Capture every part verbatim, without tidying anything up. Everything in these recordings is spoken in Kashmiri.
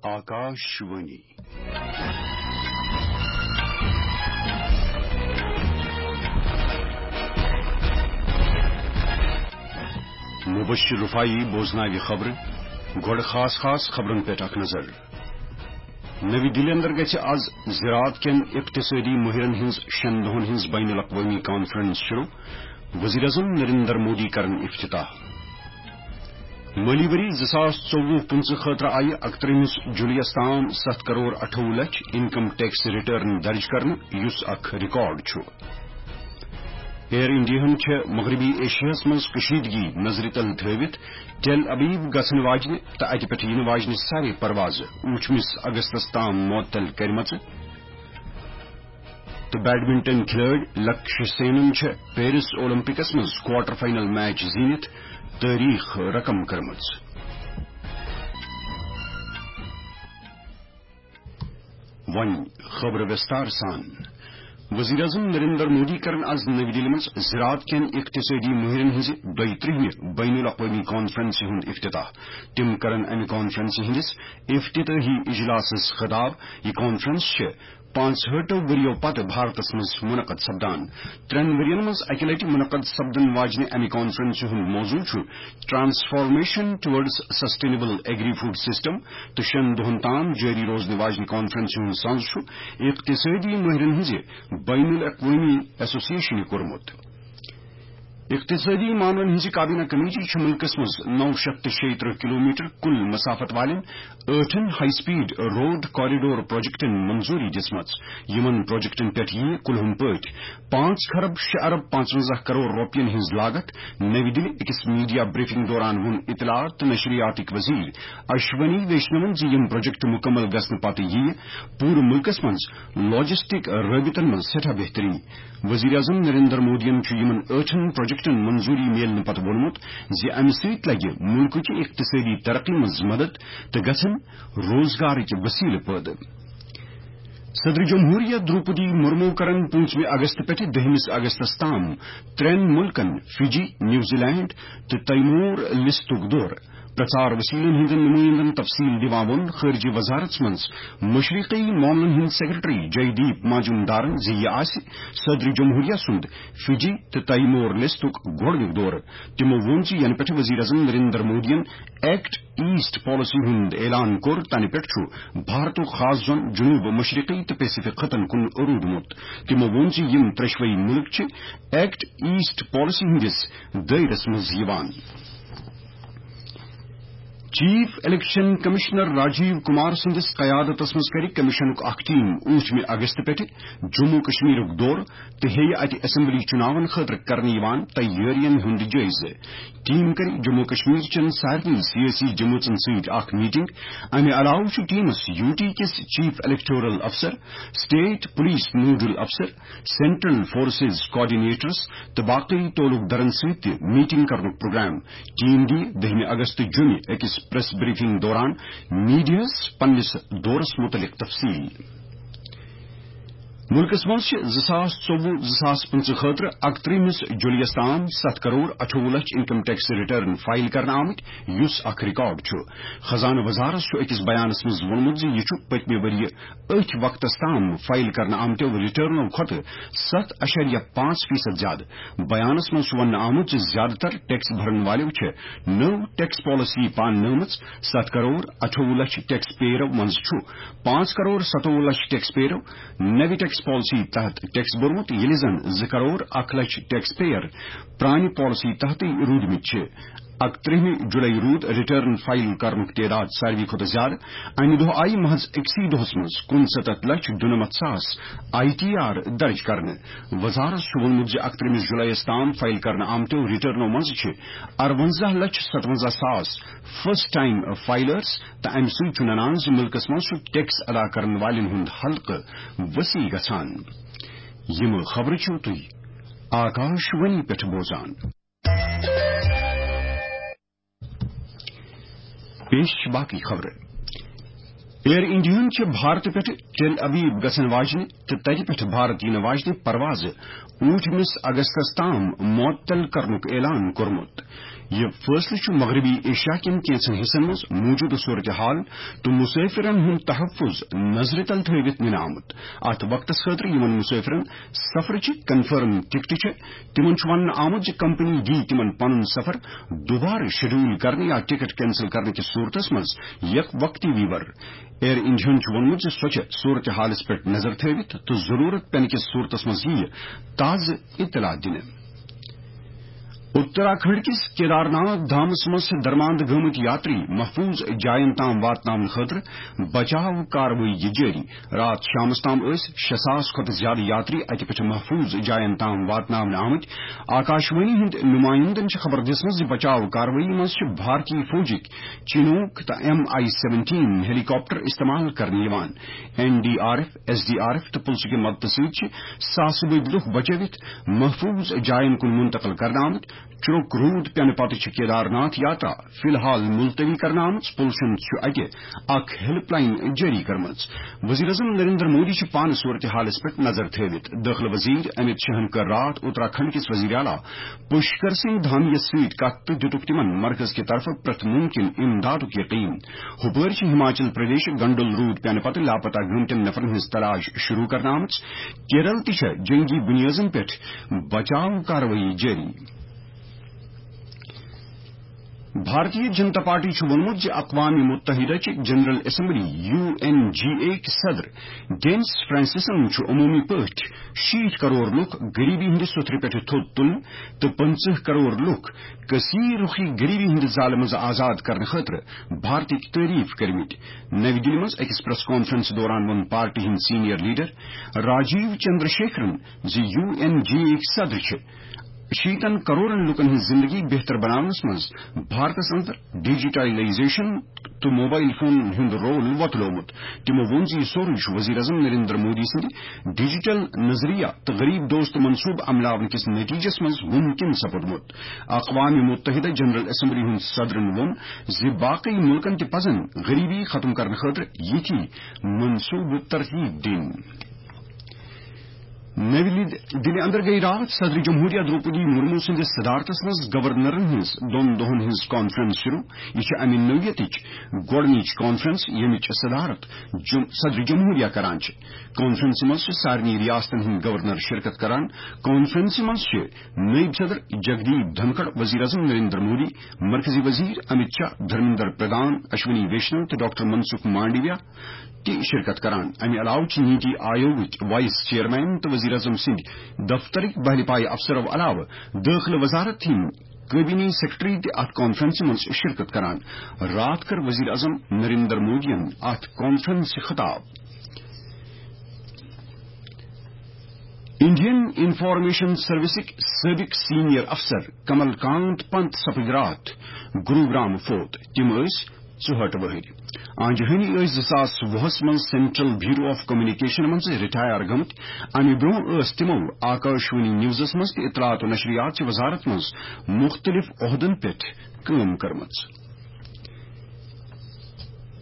آکاش وانی۔ مبشر رفاعی بوزناوِ خبرٕ۔ گۄڈٕ خاص خاص خبرن پٮ۪ٹھ اکھ نظر۔ نٔوِ دِلہِ اندر گژھِ از زراعت کٮ۪ن اقتصٲدی مٲہرن ہٕنٛز شٮ۪ن دۄہن ہٕنٛز بین الاقوٲمی کانفرنس شروع، وزیر اعظم نریندر مودی کرن افتتاح۔ مٲلی ؤری زٕ ساس ژوٚوُہ پٕنٛژٕہ خٲطرٕ آیہِ اکترٛہمِس جُلایس تام ستھ کرور اَٹھووُہ لچھ انکم ٹیکس ریٹرن درج کرنہٕ، یُس اکھ ریکارڈ چھُ۔ ایئر انڈیاہن چھےٚ مغربی ایشیاہس منٛز کشیدگی نظرِ تل تھٲوِتھ ٹیل ابیب گژھن واجنہِ تہٕ اتہِ پٮ۪ٹھ یِنہٕ واجنہِ سارے پروازٕ ٲٹھمِس اگستس تام معطل کرِمژٕ۔ تہٕ بیڈمنٹن کھلٲڑۍ لکشیہ سینن چھےٚ پیرس اولمپکس منٛز کوارٹر فائنل میچ زیٖنِتھ تٲریخ رقم کٔرمٕژ۔ وۄنۍ خبرٕ وِستار سان۔ وزیر اعظم نریندر مودی کرن از نٔوِ دِلہِ منٛز زراعت کٮ۪ن اقتصٲدی مٲہرن ہٕنٛزِ دۄیہِ ترٛہمہِ بین الاقوٲمی کانفرنسہِ ہُنٛد افتتاح۔ تِم کرن امہِ کانفرنسہِ ہٕنٛدِس افتتاحی اجلاسس خطاب۔ یہِ کانفرنس چھِ پانٛژہٲٹھو ؤرِیو پتہٕ بھارتس منٛز منعقد سپدان۔ ترٛٮ۪ن ؤرین منٛز اکہِ لٹہِ منعقد سپدن واجنہِ امہِ کانفرنسہِ ہُنٛد موضوع چھُ Transformation Towards Sustainable Agri-Food System، تہٕ شٮ۪ن دۄہن تام جٲری روزنہٕ واجنہِ کانفرنسہِ ہُنٛد سنز چھُ اقتصٲدی مٲہرن ہٕنٛزِ بین الاقوٲمی ایسوسیشنہِ کوٚرمُت۔ اقتصٲدی معاملن ہٕنٛزِ کابینہ کمیٹی چھِ مُلکس منٛز نو شیٚتھ تہٕ شیٚیہِ ترٕٛہ کلومیٹر کُل مسافت والٮ۪ن ٲٹھن ہائی سپیڈ روڈ کوریڈور پروجیکٹن منظوری دِژمٕژ۔ یِمن پروجیکٹن پٮ۪ٹھ یِیہِ کُلہُم پٲٹھۍ پانٛژھ خرب شےٚ ارب پانٛژونزہ کرور رۄپین ہٕنٛز لاگت۔ نٔوِ دِلہِ أکِس میڈیا بریفنگ دوران ووٚن اطلاعات تہٕ نشریاتٕکۍ وزیر اشونی ویشنون زِ یِم پروجیکٹ مکمل گژھنہٕ پتہٕ یِیہِ پوٗرٕ مُلکس منٛز لاجسٹک رٲبطن منٛز سٮ۪ٹھاہ بہتری۔ وزیر اعظم نریندر مودیَن چھُ یِمَن ٲٹھن پروجیکٹَن منظوٗری میلنہٕ پتہٕ ووٚنمُت زِ اَمہِ سۭتۍ لَگہِ مُلکٕچہِ اقتصٲدی ترقی منٛز مدد تہٕ گژھن روزگارٕکۍ وسیلہٕ پٲدٕ۔ صدر جمہوریہ دروپدی مرمو کرن پوٗنٛژمہِ اگست پٮ۪ٹھٕ دٔہمِس اگستَس تام ترٛٮ۪ن مُلکَن فجی، نیوزی لینڈ تہٕ تیمور لستُک دورٕ۔ پرچار وسیلن ہٕنٛدٮ۪ن نمائندن تفصیل دِوان ووٚن خارجہ وزارت منٛز مشرقی معاملن ہٕنٛدۍ سیکرٹری جے دیپ ماجمدارن زِ یہِ آسہِ صدر جمہوریہ سُنٛد فجی تہٕ تیمور لستُک گۄڈٕنیُک دورٕ۔ تِمو ووٚن زِ ینہٕ پٮ۪ٹھٕ وزیر اعظم نریندر مودیَن ایکٹ ایسٹ پالیسی ہُنٛد اعلان کوٚر، تَنہٕ پٮ۪ٹھ چھُ بھارتُک خاص زون جنوب مشرقی تہٕ پیسفک خطن کُن روٗدمُت۔ تِمو ووٚن زِ یِم ترٛٮ۪شوَے مُلک چھِ ایکٹ ایسٹ پالیسی ہٕنٛدِس دٲیرس منٛز یِوان۔ Chief election commissioner Rajiv Kumar سٕنٛدِس قیادتس منٛز کرِ کمیشنُک اکھ ٹیم ٲٹھمہِ اگست پٮ۪ٹھٕ جموں کشمیرُک دورٕ تہٕ ہیٚیہِ اتہِ اسمبلی چُناون خٲطرٕ کرنہٕ یِوان تیٲرین ہُنٛد جٲیزٕ۔ ٹیم کرِ جموں کشمیر چٮ۪ن سارنٕے سیٲسی جمٲژن سۭتۍ اکھ میٹنگ۔ امہِ علاوٕ چھُ ٹیمس یو ٹی کِس چیف الیکٹورل افسر، اسٹیٹ پولیس نوڈل افسر، سینٹرل فورسز کوآرڈینیٹرز تہٕ باقی تعلق دارن سۭتۍ تہِ میٹنگ کرنُک پروگرام۔ ٹیم دِیہِ دٔہمہِ اگست جمعہ أکِس پریس بریفنگ دوران میڈیاہَس پننِس دورس متعلق تفصیل۔ مُلکَس منٛز چھِ زٕ ساس ژوٚوُہ زٕ ساس پٕنٛژٕہ خٲطرٕ اکترٛہمِس جُلایَس تام ستھ کرور اَٹھووُہ لچھ انکم ٹیکس ریٹرن فائل کرنہٕ آمٕتۍ، یُس اکھ ریکارڈ چھُ۔ خزانہٕ وزارت چھُ أکِس بیانَس منٛز ووٚنمُت زِ یہِ چھُ پٔتمہِ ؤرۍ یہِ أتھۍ وقتَس تام فائل کرنہٕ آمتیو ریٹرنو کھۄتہٕ ستھ اَشاریہ پانٛژھ فیصد زیادٕ۔ بیانَس منٛز چھُ وننہٕ آمُت زِ زیادٕ تر ٹیکس بھرن والٮ۪و چھِ نٔو ٹیکس پالیسی پاننٲومٕژ۔ ستھ کرور اَٹھووُہ لچھ ٹیکس پیئرو منٛز چھُ پانٛژھ کرور ستووُہ لچھ ٹیکس پیئرو نوِ ٹیکس پالیسی تحت ٹیکس بوٚرمُت، ییٚلہِ زن زٕ کرور اکھ لچھ ٹیکس پیئر پرانہِ پالیسی تحتٕے روٗدمٕتۍ چھِ۔ اکترٛہمہِ جُلای روٗد ریٹرن فائل کرنُک تعداد ساروی کھۄتہٕ زیادٕ۔ امہِ دۄہ آیہِ محض أکسٕے دۄہس منٛز کُنسَتتھ لچھ دُنَمَتھ ساس آئی ٹی آر درج کرنہٕ۔ وزارت چھُ ووٚنمُت زِ اکترٛہمِس جُلایَس تام فائل کرنہٕ آمتیو ریٹرنو منٛز چھِ اَرونٛزاہ لچھ ستونٛزاہ ساس فرسٹ ٹائم فائلرز، تہٕ امہِ سۭتۍ چھُ ننان زِ مُلکَس منٛز چھُ ٹیکس ادا کرن والٮ۪ن ہُنٛد حلقہٕ وسیع گژھان۔ یِم خبرٕ چھِو تُہۍ آکاش وانی پٮ۪ٹھ بوزان۔ پیش چھِ باقی خبرٕ۔ ایئر انڈیاہن چھِ بھارت پٮ۪ٹھ ٹیل ابیب گژھن واجنہِ تہٕ تتہِ پٮ۪ٹھ بھارت یِنہٕ واجنہِ پروازٕ ٲٹھمِس اگستس تام معطل کرنُک اعلان کوٚرمُت۔ یہِ فٲصلہٕ چھُ مغربی ایشیا کٮ۪ن کینٛژن حصن منٛز موجودٕ صورتحال تہٕ مسافرن ہُنٛد تحفظ نظرِ تل تھٲوِتھ نِنہٕ آمُت۔ اتھ وقتس خٲطرٕ یِمن مسافرن سفرٕچہِ کنفرم ٹکٹہٕ چھےٚ، تِمن چھُ وننہٕ آمُت زِ کمپنی دِیہِ تِمن پنُن سفر دوبارٕ شیڈول کرنہٕ یا ٹکٹ کینسل کرنہٕ کِس صورتس منٛز یک وقتی ویور۔ ایئر انڈیاہن چھُ ووٚنمُت زِ سۄ چھےٚ صورتحالس پٮ۪ٹھ نظر تھٲوِتھ تہٕ ضروٗرت پٮ۪نہٕ کِس صورتس منٛز یِیہِ تازٕ اطلاع دِنہٕ۔ اتراکھنڈ کِس کیدارناتھ دھامس منٛز چھِ درماندٕ گٲمٕتۍ یاتری محفوظ جاین تام واتناونہٕ خٲطرٕ بچاو کاروٲیی جٲری۔ راتھ شامس تام ٲسۍ شےٚ ساس کھۄتہٕ زیادٕ یاتری اتہِ پٮ۪ٹھ محفوظ جاین تام واتناونہٕ آمٕتۍ۔ آکاشوانی ہٕنٛدۍ نمائندن چھِ خبر دِژمٕژ زِ بچاو کاروٲیی منٛز چھِ بھارتی فوجٕکۍ چنوک تہٕ M I seventeen helicopter استعمال کرنہٕ یِوان۔ N D R F, S D R F تہٕ پُلسہٕ کہِ مدتہٕ سۭتۍ چھِ ساسہٕ بٔدۍ لُکھ بچٲوِتھ محفوظ جاین کُن منتقل کرنہٕ آمٕتۍ۔ چُرُک روٗد پٮ۪نہٕ پتہٕ چھِ کیدارناتھ یاترا فی الحال ملتوی کرنہٕ آمٕژ۔ پُلسن چھُ اتہِ اکھ ہیلپ لاین جٲری کٔرمٕژ۔ وزیر اعظم نریندر مودی چھُ پانہٕ صورتحالس پٮ۪ٹھ نظر تھٲوِتھ۔ دٲخلہٕ وزیر امت شاہن کٔر راتھ اتراکھنڈ کِس وزیر اعلیٰ پشکر سنگھ دھامی یس سۭتۍ کتھ تہٕ دِتُکھ تِمن مرکز کہِ طرفہٕ پرٛٮ۪تھ مُمکِن امدادُک یقین۔ ہُپٲرۍ چھِ ہماچل پردیشٕکۍ گنڈل روٗد پٮ۪نہٕ پتہٕ لاپتہ گٔمتٮ۪ن نفرن ہٕنٛز تلاش شروع کرنہٕ آمٕژ۔ کیرل تہِ چھےٚ جنگی بُنیٲدن پٮ۪ٹھ بچاو کاروٲیی جٲری۔ بھارتیہ جنتا پارٹی چھُ ووٚنمُت زِ اقوام متحدہ چہِ general assembly, U N G A کہِ صدر ڈینس فرانسسن چھُ عموٗمی پٲٹھۍ شیٖٹھ کرور لُکھ غریبی ہٕنٛدِ سوٚتھرِ پٮ۪ٹھٕ تھوٚد تُلنہٕ تہٕ پٕنٛژٕہ کرور لُکھ کثیر رُخی غریبی ہٕنٛدِ زالہٕ منٛزٕ آزاد کرنہٕ خٲطرٕ بھارتٕکۍ تعریف کٔرمٕتۍ۔ نَوِ دِلہِ منٛز أکِس پریس کانفرنس دوران ووٚن پارٹی ہٕنٛدۍ سینئر لیڈر راجیو چندر شیکھرن زِ U N G A کہِ صدر چھِ شیٖتن کرورن لوٗکن ہٕنٛز زِندگی بہتر بناونس منٛز بھارتس اندر ڈیجیٹائزیشن تہٕ موبائل فون ہُنٛد رول وۄتلومُت۔ تِمو ووٚن زِ یہِ سورُے چھُ وزیر اعظم نریندر مودی سٕنٛدِ ڈیجیٹل نظریہ تہٕ غریب دوست منصوبہٕ عملاونہٕ کِس نتیجس منٛز ممکن سپُدمُت۔ اقوام متحدہ جنرل اسمبلی ہُنٛد صدرن ووٚن زِ باقی مُلکن تہِ پزن غریبی ختم کرنہٕ خٲطرٕ یِتھۍ منصوبہٕ ترتیب دِنۍ۔ نٔوِ دِلہِ اندر گٔیہِ راتھ صدر جمہوریہ درٛوپدی مرمو سٕنٛدِس صدارتس منٛز گورنرن ہٕنٛز دۄن دۄہن ہٕنٛز کانفرنس شروع۔ یہِ چھِ امہِ نوعیتٕچ گۄڈٕنِچ کانفرنس، ییٚمِچ صدارت جم-، صدر جمہوریہ کران چھِ۔ کانفرنسہِ منٛز چھِ سارنٕے ریاستن ہٕنٛدۍ گورنر شرکت کران۔ کانفرنسہِ منٛز چھِ نائب صدر جگدیپ دھنکھڑ، وزیر اعظم نریندر مودی، مرکزی وزیر امت شاہ، دھرمیندر پردھان، اشونی ویشنو تہٕ ڈاکٹر منسکھ مانڈویا تہِ شرکت کران۔ امہِ علاوٕ چھِ نیتی آیوگٕکۍ وائس چیئرمین تہٕ وزیر اعظم سٕنٛدۍ دفترٕکۍ بہلہِ پایہِ افسرو علاوٕ دٲخلہٕ وزارت ہٕنٛدۍ کابینی سیکرٹری تہِ اتھ کانفرنسہِ منٛز شرکت کران۔ راتھ کٔر وزیر اعظم نریندر مودیَن اتھ کانفرنسہِ خطاب۔ انڈین انفارمیشن سروسٕکۍ سٲبق سینئر افسر کمل کانت پنت سپٕدۍ راتھ گروگرام فوت۔ تِم ٲسۍ ژُہٲٹھ وٕہٕرۍ۔ آنجہانی ٲسۍ زٕ ساس وُہس منٛز سینٹرل بیورو آف کمیونیکیشن منٛز رٹائر گٔمٕتۍ۔ امہِ برونٛہہ ٲس تِمو آکاشوانی نیوزس منٛز تہٕ اطلاعات و نشریات چہِ وزارت منٛز مُختٔلِف عہدن پٮ۪ٹھ کٲم کٔرمٕژ۔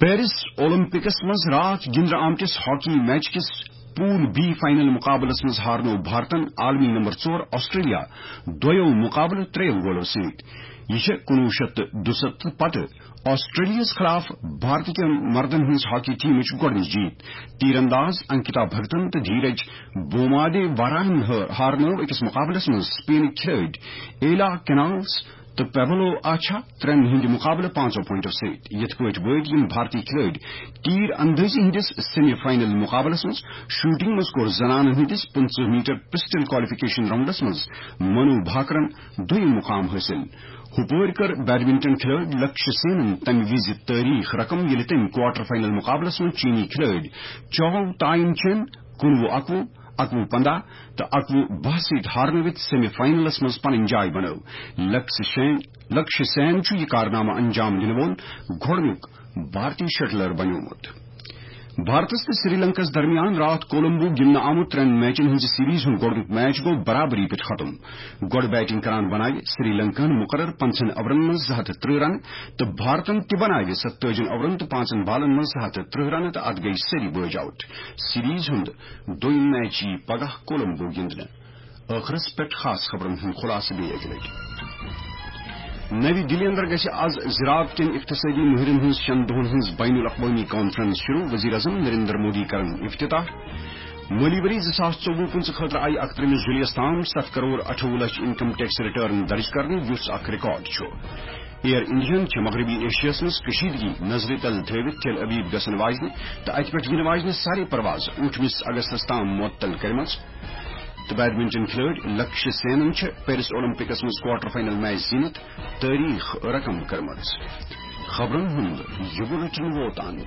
پیرس اولمپکس منٛز راتھ گِنٛدنہٕ آمتِس ہاکی میچ کِس پول بی فائنل مقابلس منٛز ہارنوو بھارتن عالمی نمبر ژور آسٹریلیا دۄیو مقابلہٕ ترٛیٚیو گولو سۭتۍ۔ یہِ چھےٚ کُنوُہ شیٚتھ تہٕ دُسَتتھ پتہٕ آسٹریلیاہس خلاف بھارت کٮ۪ن مردن ہٕنٛز ہاکی ٹیمٕچ گۄڈٕنِچ جیٖت۔ تیر انداز انکتا بھگتن تہٕ دھیرج بومادے وراہن ہٲ-، ہارنٲو أکِس مقابلس منٛز سپینٕکۍ کھلٲڑۍ ایلا کینالس تہٕ پیبلو آچھا ترٛٮ۪ن ہٕنٛدِ مقابلہٕ پانٛژو پوینٹو سۭتۍ۔ یِتھ پٲٹھۍ وٲتۍ یِم بھارتی کھلٲڑۍ تیر اندٲزی ہٕنٛدِس سیمی فائنل مقابلس منٛز۔ شوٹنگ منٛز کوٚر زنانن ہٕنٛدِس پٕنٛژٕہ میٹر پسٹل کوالیفکیشن راؤنڈس منٛز منو بھاکرن دوٚیِم مقام حٲصِل۔ ہُپٲرۍ کٔر بیڈمنٹن کھلٲڑۍ لکشیہ سینن تَمہِ وِزِ تٲریٖخ رقم، ییٚلہِ تٔمۍ کوارٹر فائنل مقابلس منٛز چینی کھلٲڑۍ چاو تائن چین کُنوُہ اَکوُہ، اَکوُہ پنٛداہ تہٕ اَکوُہ باہ سۭتۍ ہارنٲوِتھ سیمی فائنلس منٛز پنٕنۍ جاے بنٲو۔ لکشیہ سین، لکشیہ سین چھُ یہِ کارنامہٕ انجام دِنہٕ وول گۄڈٕنیُک بھارتی شٹلر بنیومُت۔ بھارتس تہٕ سری لنکس درمیان راتھ کولمبو گِنٛدنہٕ آمُت ترٛٮ۪ن میچن ہٕنٛزِ سیریز ہُنٛد گۄڈٕنیُک میچ گوٚو برابری پٮ۪ٹھ ختم۔ گۄڈٕ بیٹنگ کران بناوِ سری لنکاہن مقرر پنٛژاہن اورن منٛز زٕ ہتھ تہٕ ترٕٛہ رنہٕ تہٕ بھارتن تہِ بناوِ ستٲجی اورن تہٕ پانٛژن بالن منٛز زٕ ہتھ تہٕ ترٕٛہ رنہٕ تہٕ اتھ گٔیہِ سٲری بٲج آوٹ۔ سیریز ہُنٛد دوٚیِم میچ یِیہِ پگاہ کولمبو گِنٛدنہٕ۔ ٲخرس پٮ۪ٹھ خاص خبرن ہُنٛد خلاصہٕ بیٚیہِ اکہِ لٹہِ۔ نَوِ دِلہِ اندر گژھِ از زراعت کٮ۪ن اقتصٲدی مٲہرن ہٕنٛز شٮ۪ن دۄہن ہٕنٛز بین الاقوٲمی کانفرنس شروع، وزیر اعظم نریندر مودی کرن افتتاح۔ مٲلی ؤری زٕ ساس ژوٚوُہ پٕنٛژٕہ خٲطرٕ آیہِ اکترٕہمِس جولیَس تام ستھ کرور اَٹھووُہ لچھ انکم ٹیکس ریٹرن درج کرنہٕ، یُس اکھ ریکارڈ چھُ۔ ایئر انڈیاہن چھِ مغربی ایشیاہس منٛز کشیدگی نظرِ تل تھٲوِتھ تل ابیب گژھن واجنہِ تہٕ اتہِ پٮ۪ٹھ یِنہٕ واجنہِ سارے پرواز ٲٹھمِس اگستس تام معطل کٔرمٕژ۔ تہٕ بیڈمنٹن کھلٲڑۍ لکشیہ سینن چھِ پیرس اولمپکس منٛز کوارٹر فائنل میچ زیٖنِتھ تٲریخ رقم کٔرمٕژ۔ خبرن ہُنٛد یہِ بُلٹن ووت اند۔